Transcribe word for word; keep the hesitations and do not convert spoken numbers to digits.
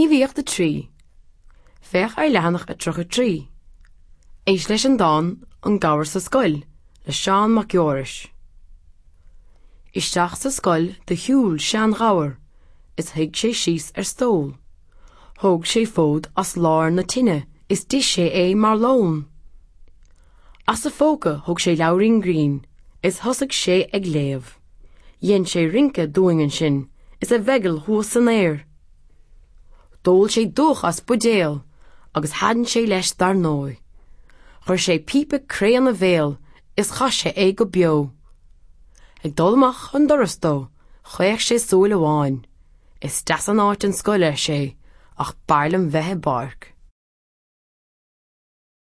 Gníomhaíocht a trí. Féach ar leathanach a tríocha trí. Éist leis an dán An Gabhar sa Scoil le Seán Mac Fheorais. Isteach sa scoil do shiúil seanghabhar is shuigh sé síos ar stól. Thóg sé fód as lár na tine is d'ith sé é mar lón. As a phóca thóg sé leabhairín grinn is thosaigh sé ag léamh. Dhein sé rince dúinn ansin is a mheigeall thuas san aer. D'ól sé dúch as buidéal agus thaitin sé leis dar ndóigh. Chuir sé píopa cré ina bhéal is chaith sé é go beo. Ag dul amach an doras dó, chaoch sé súil amháin. Is deas an áit an scoil ar sé, ach b'fhearr liom bheith i bpáirc.